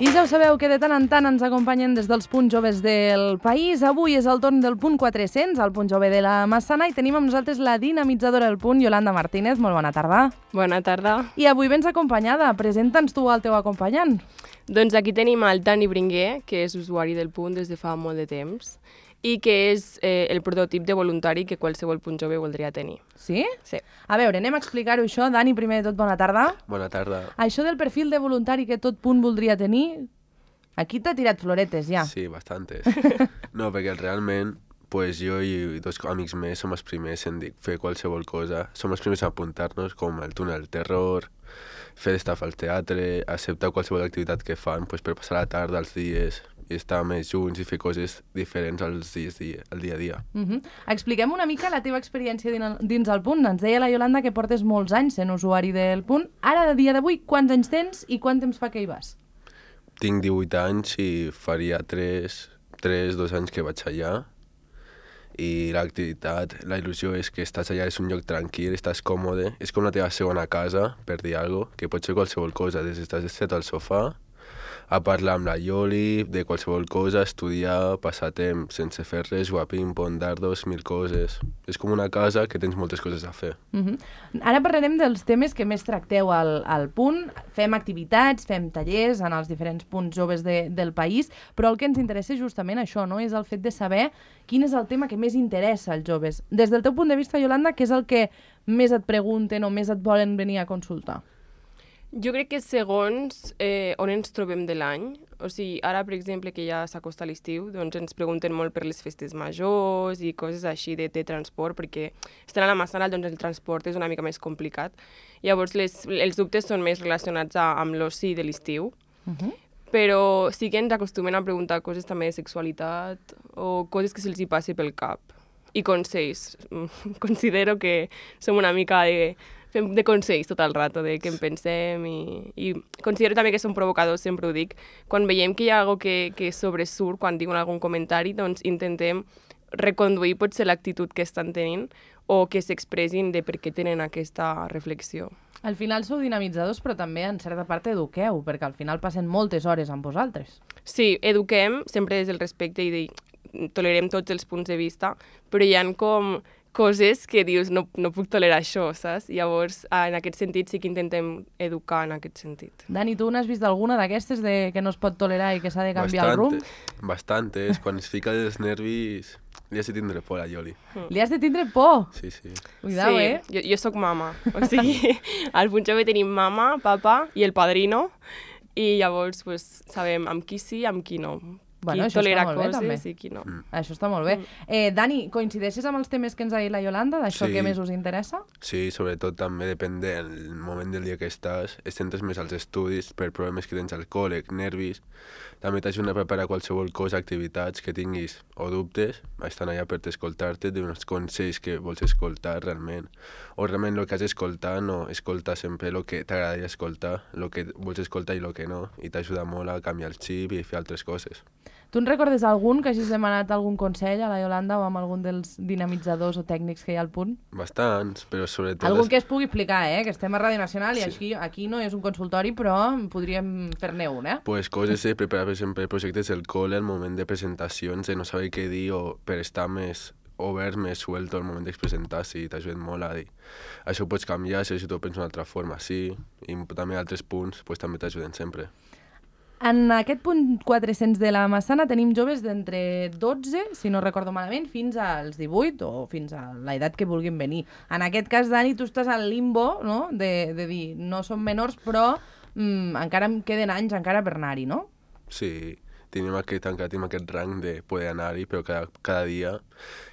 I ja ho sabeu que de tant en tant ens acompanyen des dels punts joves del país. Avui és el torn del punt 400, el punt jove de la Massana, i tenim amb nosaltres la dinamitzadora del punt, Yolanda Martínez. Molt bona tarda. Bona tarda. I avui vens acompanyada. Presenta'ns tu el teu acompanyant. Doncs aquí tenim el Dani Bringuer, que és usuari del punt des de fa molt de temps i que és el prototip de voluntari que qualsevol punt jove voldria tenir. Sí? Sí. A veure, anem a explicar-ho això. Dani, primer de tot, bona tarda. Bona tarda. Això del perfil de voluntari que tot punt voldria tenir, aquí t'ha tirat floretes ja. Sí, bastantes. No, perquè realment pues, jo i dos amics més som els primers en fer qualsevol cosa. Som els primers a apuntar-nos, com el túnel del terror, fer d'estaf al teatre, acceptar qualsevol activitat que fan pues, per passar la tarda, els dies, i estar més junts i fer coses diferents al dia a dia. Expliquem una mica la teva experiència dins el punt. Ens deia la Yolanda que portes molts anys sent usuari del punt. Ara, a dia d'avui, quants anys tens i quant temps fa que hi vas? Tinc 18 anys i faria 2 anys que vaig allà. I l'activitat, la il·lusió és que estàs allà, és un lloc tranquil, estàs còmode, és com la teva segona casa, per dir alguna cosa, que pot ser qualsevol cosa, des d'estàs estat al sofà, a parlar amb la Ioli, de qualsevol cosa, estudiar, passar temps sense fer res, jugar a ping-pong, dardos, 1000 coses. És com una casa que tens moltes coses a fer. Ara parlarem dels temes que més tracteu al punt. Fem activitats, fem tallers en els diferents punts joves del país, però el que ens interessa és justament això, no? És el fet de saber quin és el tema que més interessa als joves. Des del teu punt de vista, Yolanda, què és el que més et pregunten o més et volen venir a consultar? Jo crec que segons on ens trobem de l'any, o sigui, ara, per exemple, que ja s'acosta l'estiu, doncs ens pregunten molt per les festes majors i coses així de transport, perquè estant a la Massana, doncs el transport és una mica més complicat. Llavors, els dubtes són més relacionats amb l'oci de l'estiu, però sí que ens acostumen a preguntar coses també de sexualitat o coses que se'ls hi passi pel cap. I consells. Considero que som una mica fem de consells tot el rato, de què en pensem i considero també que som provocadors, sempre ho dic. Quan veiem que hi ha alguna cosa que sobresurt, quan diuen algun comentari, doncs intentem reconduir potser l'actitud que estan tenint o que s'expressin de per què tenen aquesta reflexió. Al final sou dinamitzadors, però també en certa part eduqueu, perquè al final passen moltes hores amb vosaltres. Sí, eduquem sempre des del respecte i tolerem tots els punts de vista, però hi ha com coses que dius, no puc tolerar això, saps? Llavors, en aquest sentit sí que intentem educar en aquest sentit. Dani, tu n'has vist alguna d'aquestes que no es pot tolerar i que s'ha de canviar el rumb? Bastantes. Quan es fica els nervis, li has de tindre por a Ioli. Li has de tindre por? Sí, sí. Cuidao, sí, jo soc mama. O sigui, al punt jove tenim mama, papa i el padrino, i llavors pues, sabem amb qui sí, amb qui no. Bueno, qui tolera coses i qui no. Això està molt bé. Dani, coincideixes amb els temes que ens ha dit la Yolanda, d'això que més us interessa? Sí, sobretot també depèn del moment del dia que estàs. Et centres més als estudis per problemes que tens al col·le, nervis. També t'ajuda a preparar qualsevol cosa, activitats que tinguis o dubtes. Estan allà per escoltar-te, d'uns consells que vols escoltar realment. O realment el que has d'escoltar, no escoltar sempre el que t'agradaria escoltar, el que vols escoltar i el que no. I t'ajuda molt a canviar el xip i fer altres coses. Tu en recordes algun que hagis demanat algun consell a la Yolanda o amb algun dels dinamitzadors o tècnics que hi ha al punt? Bastants, però sobretot... Algun que es pugui explicar, que estem a Ràdio Nacional i aquí no és un consultori, però podríem fer-ne un, Pues coses de preparar, per exemple, projectes del col·le al moment de presentacions, de no saber què dir o per estar més obert, més suelto al moment d'expresentar-se i t'ajuda molt a dir. Això ho pots canviar, si tu ho penses d'una altra forma, sí, i també altres punts pues, també t'ajuden sempre. En aquest punt 400 de la Massana tenim joves d'entre 12, si no recordo malament, fins als 18 o fins a l'edat que vulguin venir. En aquest cas, Dani, tu estàs al limbo, no?, de dir, no som menors, però encara em queden anys encara per anar-hi, no? Sí, tenim aquest rang de poder anar-hi, però cada dia,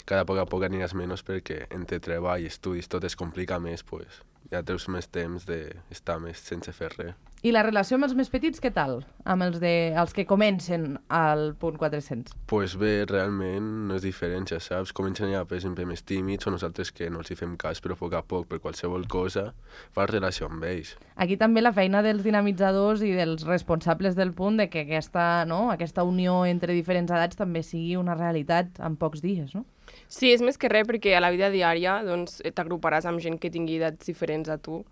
cada poc a poc aniràs menys perquè entre treball i estudis tot es complica més, pues, ja treus més temps d'estar més sense fer res. I la relació amb els més petits, què tal? Amb els que comencen al punt 400? Pues bé, realment no és diferent, ja saps. Comencen ja, per exemple, més tímids o nosaltres que no els hi fem cas, però a poc a poc, per qualsevol cosa, fas relació amb ells. Aquí també la feina dels dinamitzadors i dels responsables del punt de que aquesta unió entre diferents edats també sigui una realitat en pocs dies, no? Sí, és més que res perquè a la vida diària doncs, t'agruparàs amb gent que tingui edats diferents a tu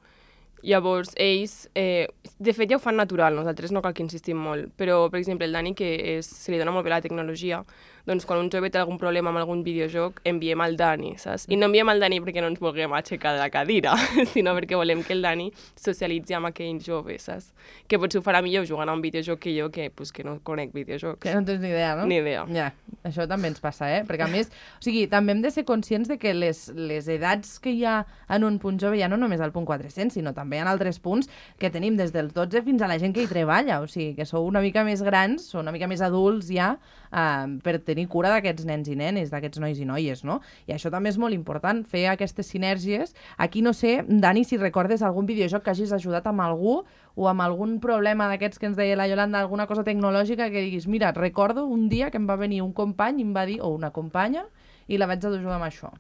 Llavors, ells, de fet ja ho fan natural, nosaltres no cal que insistim molt, però, per exemple, el Dani, que se li dona molt bé la tecnologia, doncs quan un jove té algun problema amb algun videojoc, enviem al Dani, saps? I no enviem al Dani perquè no ens vulguem aixecar de la cadira, sinó perquè volem que el Dani socialitzi amb aquell jove, saps? Que potser ho farà millor jugant a un videojoc que jo, que no conec videojocs. Que no tens ni idea, no? Ni idea. Ja, això també ens passa, Perquè, a més, o sigui, també hem de ser conscients de que les edats que hi ha en un punt jove, ja no només al punt 400, sinó també en altres punts que tenim des dels 12 fins a la gent que hi treballa, o sigui, que sou una mica més grans, sou una mica més adults ja, per tenir cura d'aquests nens i nenes, d'aquests nois i noies, no? I això també és molt important, fer aquestes sinergies. Aquí no sé, Dani, si recordes algun videojoc que hagis ajudat amb algú o amb algun problema d'aquests que ens deia la Yolanda, alguna cosa tecnològica que diguis, mira, recordo un dia que em va venir un company i em va dir, o una companya, i la vaig a jugar amb això.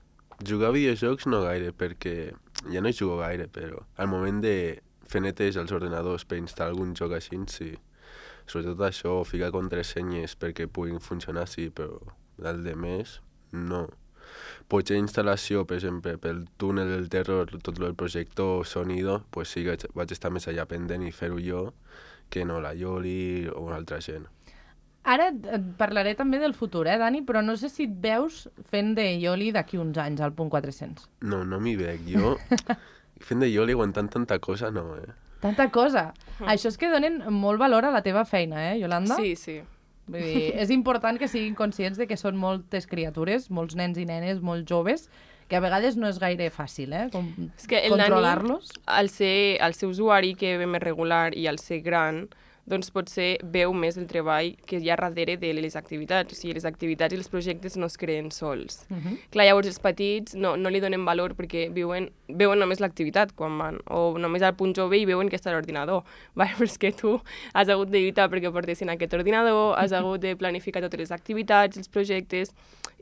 Jugar a videojocs no gaire, perquè ja no hi jugo gaire, però al moment de fer netes als ordenadors per instal·lar algun joc així, sí. Sobretot això, ficar contrasenyes perquè puguin funcionar, sí, però el de més, no. Potser instal·lació, per exemple, pel túnel del terror, tot el projector, sonido, pues sí que vaig estar més allà pendent i fer-ho jo que no la Yoli o una altra gent. Ara et parlaré també del futur, Dani? Però no sé si et veus fent de Yoli d'aquí uns anys, al punt 400. No m'hi veig. Jo, fent de Yoli, aguantant tanta cosa, no, Tanta cosa. Això és que donen molt valor a la teva feina, Yolanda? Sí, sí. Vull dir, és important que siguin conscients de que són moltes criatures, molts nens i nenes, molt joves, que a vegades no és gaire fàcil, és que controlar-los. Al ser usuari que ve més regular i al ser gran, doncs potser veu més el treball que hi ha darrere de les activitats. O sigui, les activitats i els projectes no es creen sols. Clar, llavors els petits no li donen valor perquè veuen només l'activitat quan van, o només al punt jove i veuen que està a l'ordinador. Però és que tu has hagut de lluitar perquè portessin aquest ordinador, has hagut de planificar totes les activitats, els projectes,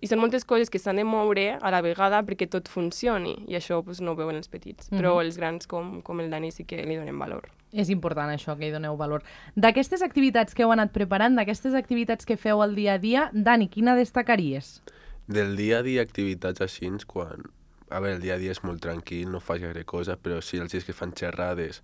i són moltes coses que s'han de moure a la vegada perquè tot funcioni, i això no ho veuen els petits. Però els grans, com el Dani, sí que li donen valor. És important això, que hi doneu valor. D'aquestes activitats que heu anat preparant, d'aquestes activitats que feu al dia a dia, Dani, quina destacaries? Del dia a dia activitats així, quan... A veure, el dia a dia és molt tranquil, no fas gaire cosa, però sí els dies que fan xerrades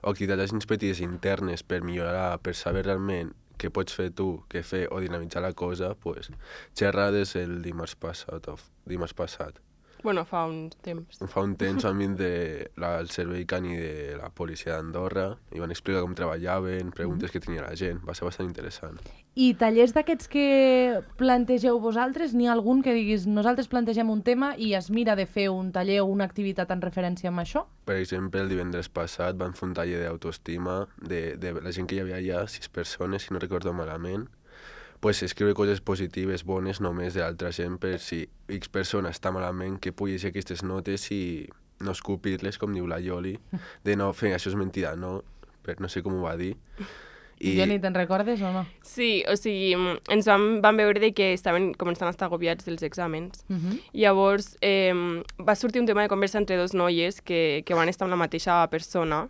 o activitats així petites internes per millorar, per saber realment què pots fer tu, què fer o dinamitzar la cosa, pues, xerrades el dimarts passat. Bueno, fa un temps. Fa un temps a mi del servei cani de la policia d'Andorra i van explicar com treballaven, preguntes que tenia la gent. Va ser bastant interessant. I tallers d'aquests que plantegeu vosaltres, n'hi ha algun que diguis nosaltres plantegem un tema i es mira de fer un taller o una activitat en referència amb això? Per exemple, el divendres passat van fer un taller d'autoestima de la gent que hi havia allà, 6 persones, si no recordo malament, pues escriure coses positives, bones, només de l'altra gent, per si X persona està malament, que pugui llegir aquestes notes i no escupir-les, com diu la Yoli, de no fer això és mentida, no sé com ho va dir. Yoli, te'n recordes o no? Sí, o sigui, ens vam veure que estaven començant a estar agobiats dels exàmens. Llavors, va sortir un tema de conversa entre dos noies que van estar amb la mateixa persona,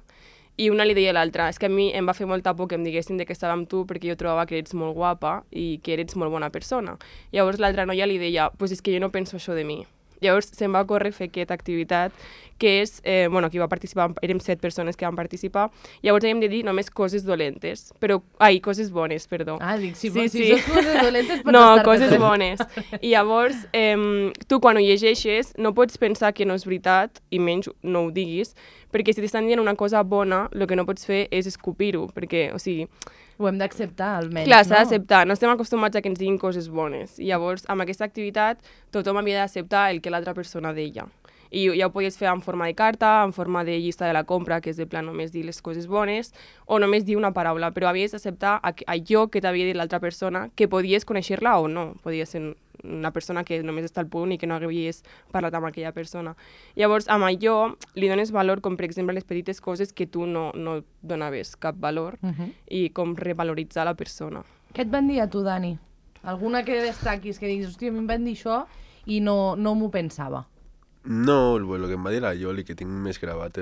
i una li deia a l'altra, és que a mi em va fer molta por que em diguessin que estava amb tu perquè jo trobava que eres molt guapa i que eres molt bona persona. Llavors l'altra noia li deia, pues és que jo no penso això de mi. Llavors se'm va córrer fer aquesta activitat, que és, qui va participar, érem 7 persones que van participar, llavors havíem de dir només coses dolentes, coses bones, perdó. Ah, dic, si són coses dolentes pots no, coses bones. I llavors, tu quan ho llegeixes no pots pensar que no és veritat, i menys no ho diguis, perquè si t'estan dient una cosa bona, el que no pots fer és escopir-ho, perquè, o sigui... Ho hem d'acceptar, almenys, clar, s'ha d'acceptar. No estem acostumats a que ens diguin coses bones. I llavors, amb aquesta activitat, tothom havia d'acceptar el que l'altra persona deia. I ja ho podies fer en forma de carta, en forma de llista de la compra, que és de plan només dir les coses bones, o només dir una paraula, però havies d'acceptar allò que t'havia dit l'altra persona, que podies conèixer-la o no. Podia ser una persona que només està al punt i que no havies parlat amb aquella persona. Llavors, amb allò li dones valor, com per exemple les petites coses que tu no donaves cap valor, i com revaloritzar la persona. Què et van dir a tu, Dani? Alguna que destaquis, que diguis, hòstia, a mi em van dir això i no m'ho pensava? No, el que em va dir la Ioli, que tinc més gravat,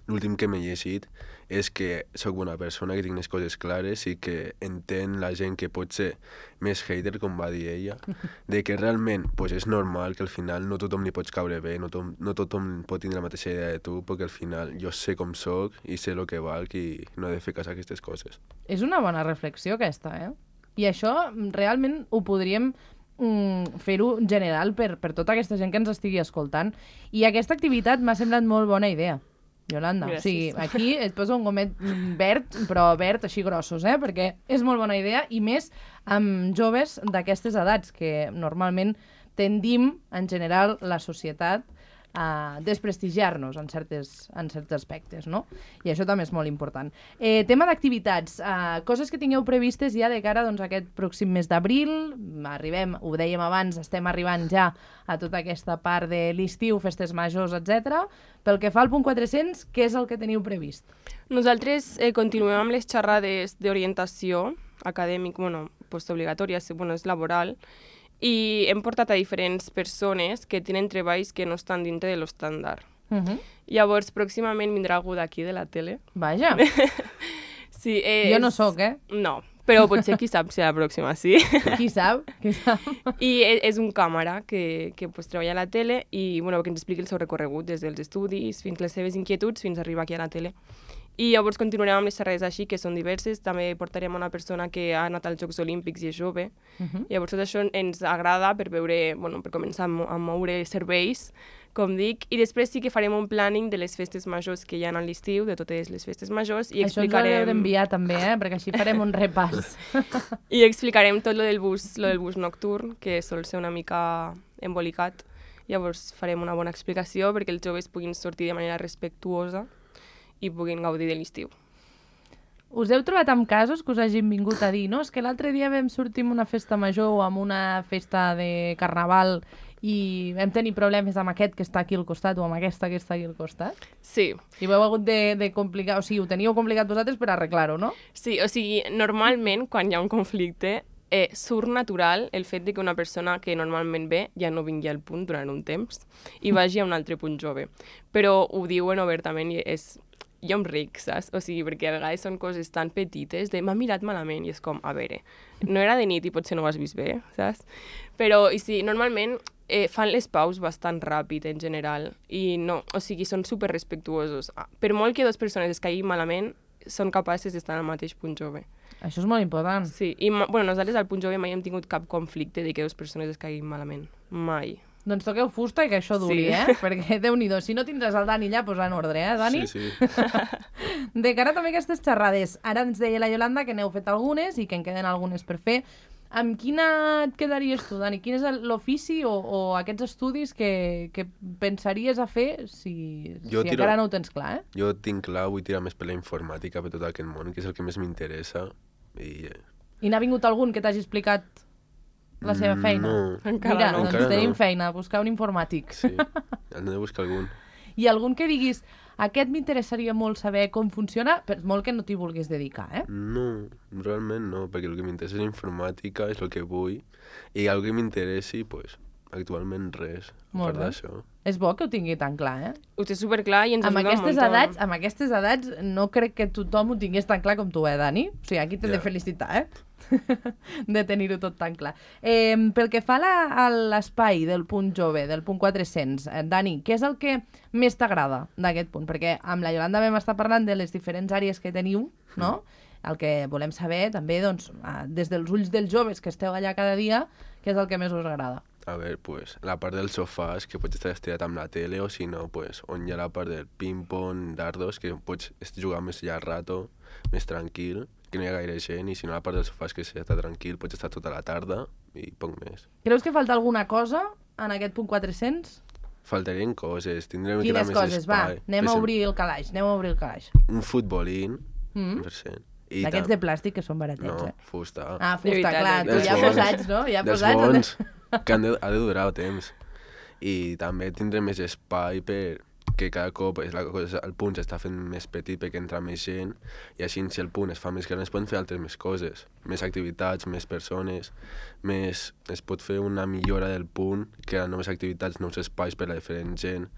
l'últim que m'he llegit, és que sóc bona persona, que tinc les coses clares i que entén la gent que pot ser més hater, com va dir ella, de que realment pues, és normal que al final no tothom li pots caure bé, no tothom pot tindre la mateixa idea de tu, perquè al final jo sé com sóc i sé el que valc i no he de fer cas a aquestes coses. És una bona reflexió aquesta, eh? I això realment ho podríem fer-ho general per tota aquesta gent que ens estigui escoltant. I aquesta activitat m'ha semblat molt bona idea, Yolanda. Gràcies. O sigui, aquí et poso un gomet verd, però verd així grossos, perquè és molt bona idea, i més amb joves d'aquestes edats, que normalment tendim, en general, la societat a desprestigiar-nos en certs aspectes, no? I això també és molt important. Tema d'activitats, coses que tingueu previstes ja de cara doncs, a aquest pròxim mes d'abril. Arribem, ho dèiem abans, estem arribant ja a tota aquesta part de l'estiu, festes majors, etc. Pel que fa al punt 400, què és el que teniu previst? Nosaltres continuem amb les xerrades d'orientació acadèmic, postobligatòria, és laboral, i hem portat a diferents persones que tenen treballs que no estan dintre de l'estàndard. Llavors, pròximament vindrà algú d'aquí de la tele. Vaja. Sí, jo no sóc, No, però potser qui sap si la pròxima sí. Qui sap? I és un càmera que treballa a la tele i que ens expliqui el seu recorregut des dels estudis fins les seves inquietuds fins a arribar aquí a la tele. I llavors continuarem amb les xerrades així, que són diverses. També portarem una persona que ha anat als Jocs Olímpics i és jove. Llavors tot això ens agrada per veure, per començar a moure serveis, com dic. I després sí que farem un planning de les festes majors que hi ha a l'estiu, de totes les festes majors. I això ens ho heu d'enviar també, perquè així farem un repàs. I explicarem tot lo del bus nocturn, que sol ser una mica embolicat. Llavors farem una bona explicació perquè els joves puguin sortir de manera respectuosa i puguin gaudir de l'estiu. Us heu trobat amb casos que us hagin vingut a dir no, és que l'altre dia vam sortir amb una festa major o amb una festa de carnaval i vam tenir problemes amb aquest que està aquí al costat o amb aquesta que està aquí al costat? Sí. I ho heu hagut de complicar, o sigui, ho teníeu complicat vosaltres per arreglar-ho, no? Sí, o sigui, normalment quan hi ha un conflicte surt natural el fet de que una persona que normalment ve ja no vingui al punt durant un temps i vagi a un altre punt jove. Però ho diuen obertament i jo em ric, saps? O sigui, perquè a vegades són coses tan petites de m'ha mirat malament i és com, a veure, no era de nit i potser no ho has vist bé, saps? Però, i sí, normalment fan les paus bastant ràpid en general i no, o sigui, són super respectuosos. Per molt que dues persones es caiguin malament, són capaces d'estar al mateix punt jove. Això és molt important. Sí, i nosaltres al punt jove mai hem tingut cap conflicte de que dues persones es caiguin malament. Mai. Doncs toqueu fusta i que això duri, Perquè, Déu-n'hi-do, si no tindràs el Dani allà, posar en ordre, Dani? Sí. De cara també a aquestes xerrades, ara ens deia la Yolanda que n'heu fet algunes i que en queden algunes per fer. Amb quina et quedaries tu, Dani? Quin és l'ofici o aquests estudis que pensaries a fer si encara no ho tens clar, Jo tinc clar, vull tirar més per la informàtica, per tot aquest món, que és el que més m'interessa. I n'ha vingut algun que t'hagi explicat la seva feina? No. Encara no. Doncs tenim feina, buscar un informàtic. Sí, hem de buscar algun. I algun que diguis, aquest m'interessaria molt saber com funciona, per molt que no t'hi vulguis dedicar, No, realment no, perquè el que m'interessa és la informàtica, és el que vull, i el que m'interessi, doncs, actualment res, a part d'això. És bo que ho tingui tan clar, Ho té superclar i ens ajuda un munt. Amb aquestes edats no crec que tothom ho tingués tan clar com tu, Dani? O sigui, aquí t'he de felicitar, de tenir-ho tot tan clar. Pel que fa a l'espai del punt jove, del punt 400, Dani, què és el que més t'agrada d'aquest punt? Perquè amb la Yolanda vam estar parlant de les diferents àrees que teniu, no? El que volem saber també, doncs, des dels ulls dels joves que esteu allà cada dia, què és el que més us agrada? A veure, pues, la part dels sofàs, que pots estar estirat amb la tele, o si no, pues, on hi ha la part del ping-pong, dardos, que pots jugar més llarg rato, més tranquil, que no hi ha gaire gent, i si no, la part dels sofàs, que s'està tranquil, pots estar tota la tarda i poc més. Creus que falta alguna cosa en aquest punt 400? Faltarien coses, tindrem que quines més coses? espai. Va, anem a obrir el calaix, Un futbolín, 100%. D'aquests de plàstic que són baratets, No, fusta. Fusta, clar, tu ja posats, no? Ja dels posats. bons, que ha de durar temps. I també tindrem més espai per que cada cop el punt s'està fent més petit perquè entra més gent, i així si el punt es fa més gran es poden fer altres més coses, més activitats, més persones, es pot fer una millora del punt, crear noves activitats, nous espais per a diferent gent,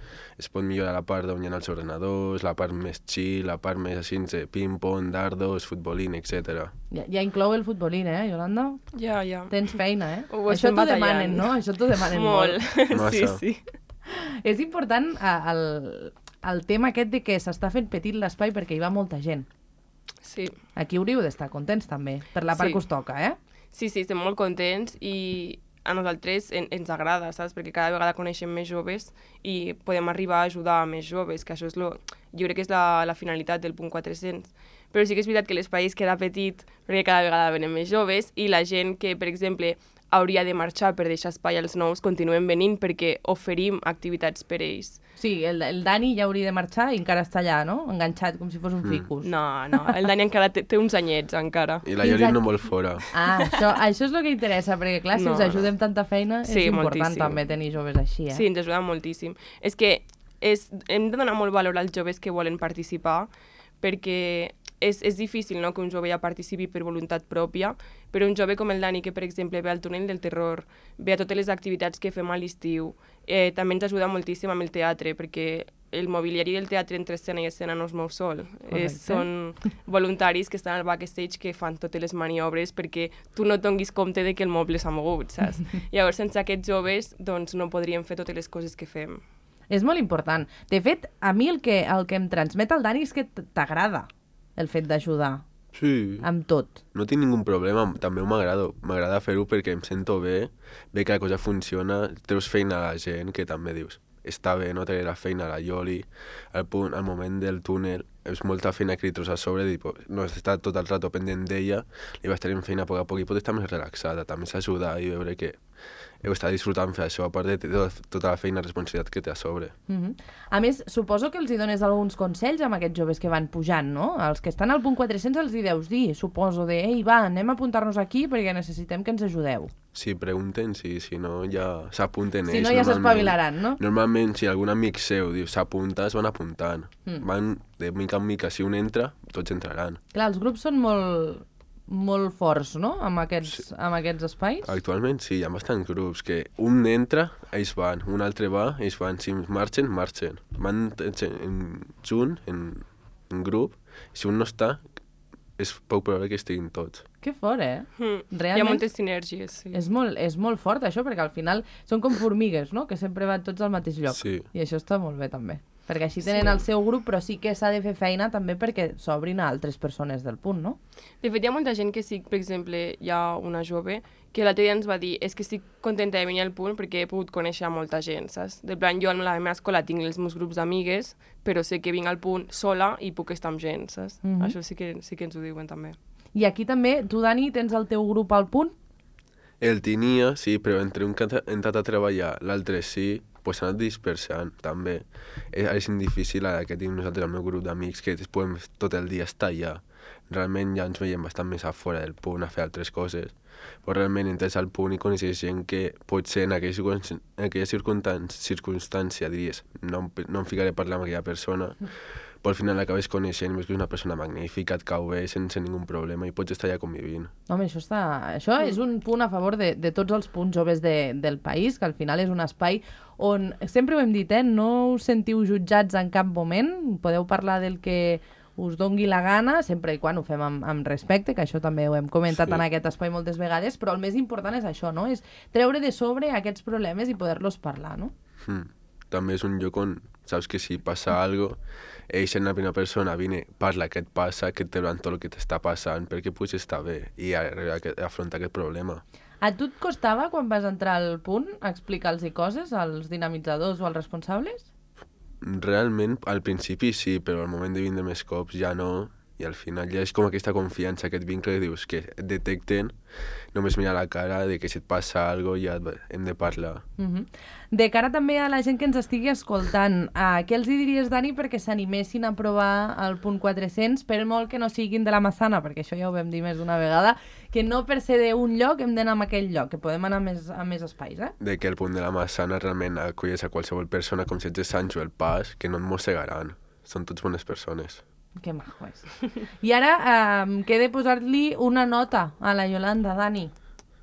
es pot millorar la part on hi ha els ordenadors, la part més chill, la part més així de ping-pong, dardos, futbolín, etc. Ja inclou el futbolín, Yolanda? Ja. Tens feina, Això t'ho demanen, no? Això t'ho demanen molt. Sí. És important el tema aquest de que s'està fent petit l'espai perquè hi va molta gent. Sí. Aquí hauríeu d'estar contents també, per la part que us toca, Sí, estem molt contents i a nosaltres ens agrada, saps? Perquè cada vegada coneixem més joves i podem arribar a ajudar a més joves, que això és jo crec que és la finalitat del punt 400. Però sí que és veritat que l'espai es queda petit perquè cada vegada venen més joves i la gent que, per exemple, hauria de marxar per deixar espai als nous continuen venint perquè oferim activitats per ells. Sí, el Dani ja hauria de marxar i encara està allà, no? Enganxat, com si fos un ficus. No, el Dani encara té uns anyets, encara. I la Yoli no vol fora. Això és el que interessa, perquè clar, si us ajudem tanta feina, és important moltíssim. També tenir joves així, Sí, ens ajuda moltíssim. És que hem de donar molt valor als joves que volen participar, perquè és difícil, no?, que un jove ja participi per voluntat pròpia, però un jove com el Dani, que per exemple ve al túnel del terror, ve a totes les activitats que fem a l'estiu, també ens ajuda moltíssim amb el teatre, perquè el mobiliari del teatre entre escena i escena no es mou sol. Són voluntaris que estan al backstage que fan totes les maniobres perquè tu no et donis compte de que el moble s'ha mogut, saps? Llavors, sense aquests joves, doncs no podríem fer totes les coses que fem. És molt important. De fet, a mi el que em transmet el Dani és que t'agrada el fet d'ajudar. Sí. Amb tot. No tinc ningú problema, també m'agrada fer-ho perquè em sento bé, ve que la cosa funciona, treus feina a la gent, que també dius, està bé, no treure la feina a la Yoli, al moment del túnel, és molta feina que li treus a sobre, no està tot el rato pendent d'ella, li vas tenir feina a poc a poc i pot estar més relaxada, també s'ajuda i veure que heu estat disfrutant fer això, a part de tota la feina i responsabilitat que té a sobre. A més, suposo que els hi dones alguns consells amb aquests joves que van pujant, no? Els que estan al punt 400 els hi deus dir, suposo, ei, va, anem a apuntar-nos aquí perquè necessitem que ens ajudeu. Sí, pregunten, si no ja s'apunten ells. Si no ja s'espavilaran, no? Normalment, si algun amic seu diu s'apunta, es van apuntant. Van de mica en mica, si un entra, tots entraran. Clar, els grups són molt forts, no?, amb aquests espais. Actualment sí, hi ha bastants grups que un entra, ells van, un altre va, ells van, si marxen. Van junt, en grup, i si un no està, és poc probable que estiguin tots. Que fort, Realment, hi ha moltes sinergies, sí. És molt fort, això, perquè al final són com formigues, no?, que sempre van tots al mateix lloc. Sí. I això està molt bé, també. Perquè així tenen el seu grup, però sí que s'ha de fer feina també perquè s'obrin a altres persones del punt, no? De fet, hi ha molta gent que sí, per exemple, hi ha una jove que l'altre dia ens va dir és que estic contenta de venir al punt perquè he pogut conèixer molta gent, saps? De plan, jo a la meva escola tinc els meus grups d'amigues, però sé que vinc al punt sola i puc estar amb gent, saps? Això sí que ens ho diuen també. I aquí també, tu, Dani, tens el teu grup al punt? El tenia, sí, però entre un que ha entrat a treballar, l'altre sí, pues s'ha anat dispersant, també. És difícil ara que tinc nosaltres el meu grup d'amics que podem tot el dia estar allà. Realment ja ens veiem bastant més a fora del punt a fer altres coses. Però realment entres al punt i coneixes gent que potser en aquella circumstància diries no em ficaré a parlar amb aquella persona, però al final l'acabes coneixent i veus que és una persona magnífica, et cau bé sense ningú problema i pots estar allà convivint. Home, això és un punt a favor de tots els punts joves del país, que al final és un espai on, sempre ho hem dit, no us sentiu jutjats en cap moment, podeu parlar del que us dongui la gana, sempre i quan ho fem amb respecte, que això també ho hem comentat en aquest espai moltes vegades, però el més important és això, no? És treure de sobre aquests problemes i poder-los parlar, no? També és un lloc on saps que si passa alguna cosa, ells en la primera persona vine, parla què et passa, que et trauran tot el que t'està passant, perquè puguis estar bé i afrontar aquest problema. A tu et costava, quan vas entrar al punt, explicar-los coses als dinamitzadors o als responsables? Realment, al principi sí, però al moment de vindre més cops ja no, i al final ja és com aquesta confiança, aquest vincle que dius que et detecten, només mirar la cara de que si et passa alguna cosa ja hem de parlar. De cara també a la gent que ens estigui escoltant, què els hi diries, Dani, perquè s'animessin a provar el punt 400, per molt que no siguin de la Massana, perquè això ja ho vam dir més d'una vegada, que no per ser d'un lloc hem d'anar a aquell lloc, que podem anar a més espais, De que el punt de la Massana realment acolles a qualsevol persona com si ets de Sancho el Pas, que no et mossegaran. Són tots bones persones. Que maco és. I ara queda posar-li una nota a la Yolanda, Dani.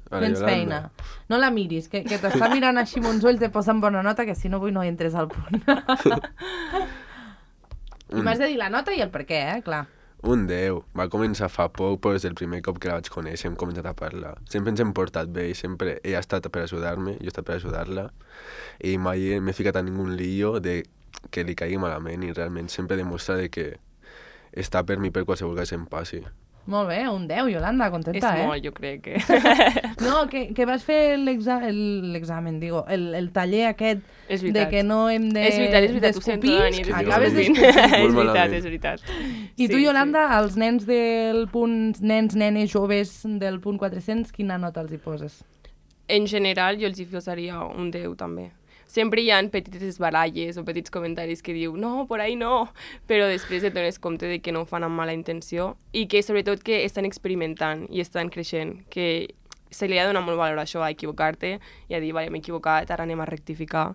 Tens feina. No la miris, que t'està mirant així amb uns ulls de posar en bona nota, que si no avui no entres al punt. I m'has de dir la nota i el per què, clar. Un 10. Va començar fa poc, però des del primer cop que la vaig conèixer hem començat a parlar. Sempre ens hem portat bé i sempre ella ha estat per ajudar-me, jo he estat per ajudar-la, i mai m'he ficat a ningun lío de que li caigui malament i realment sempre demostra de que està per mi per qualsevol cas em passi. Molt bé, un 10, Yolanda, contenta, És molt, jo crec que... No, que vas fer l'examen, digo, el taller aquest de que no hem de... És veritat, ho sento, Dani. Acabes d'escopir. És veritat. I tu, Yolanda, als nens del punt, nens, nenes, joves del punt 400, quina nota els hi poses? En general, jo els hi posaria un 10, també. Sempre hi ha petites baralles o petits comentaris que diu no, por ahí no, però després et dones compte de que no ho fan amb mala intenció i que sobretot que estan experimentant i estan creixent, que se li ha de donar molt valor a això, a equivocar-te i a dir, vale, m'he equivocat, ara anem a rectificar,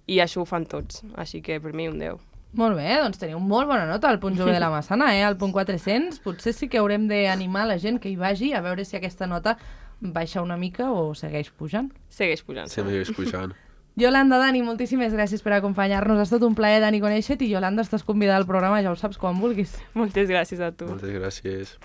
i això ho fan tots, així que per mi un 10. Molt bé, doncs teniu molt bona nota al punt jove de la Massana, al punt 400. Potser sí que haurem d'animar la gent que hi vagi a veure si aquesta nota baixa una mica o segueix pujant. Segueix pujant. Segueix pujant. Yolanda, Dani, moltíssimes gràcies per acompanyar-nos. Ha estat un plaer, Dani, conèixer-te, i Yolanda, estàs convidada al programa, ja ho saps, quan vulguis. Moltes gràcies a tu. Moltes gràcies.